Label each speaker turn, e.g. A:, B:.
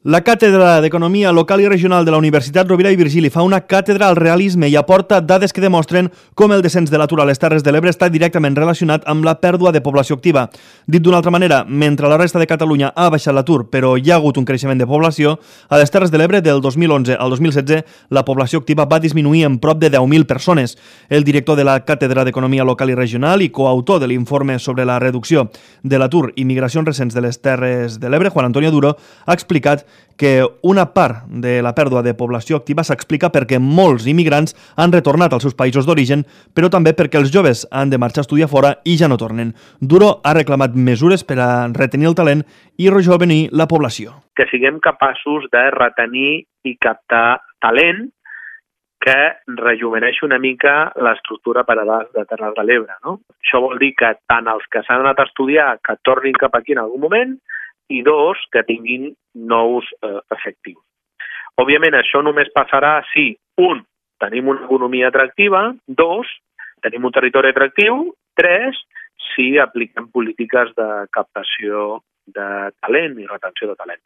A: La Càtedra d'Economia Local i Regional de la Universitat Rovira i Virgili fa una càtedra al realisme i aporta dades que demostren com el descens de l'atur a les Terres de l'Ebre està directament relacionat amb la pèrdua de població activa. Dit d'una altra manera, mentre la resta de Catalunya ha baixat l'atur, però hi ha hagut un creixement de població, a les Terres de l'Ebre del 2011 al 2016 la població activa va disminuir en prop de 10.000 persones. El director de la Càtedra d'Economia Local i Regional i coautor de l'informe sobre la reducció de l'atur i migracions recents de les Terres de l'Ebre, Juan Antonio Duro, ha explicat que una part de la pèrdua de població activa s'explica perquè molts immigrants han retornat als seus països d'origen, però també perquè els joves han de marxar a estudiar fora i ja no tornen. Duro ha reclamat mesures per a retenir el talent i rejovenir la població.
B: Que siguem capaços de retenir i captar talent que rejuveneixi una mica l'estructura per edats de Terres de l'Ebre, no? Això vol dir que tant els que s'han anat a estudiar que tornin cap aquí en algun moment, i dos, que tinguin nous efectius. Òbviament, això només passarà si, un, tenim una economia atractiva, dos, tenim un territori atractiu, tres, si apliquem polítiques de captació de talent i retenció de talent.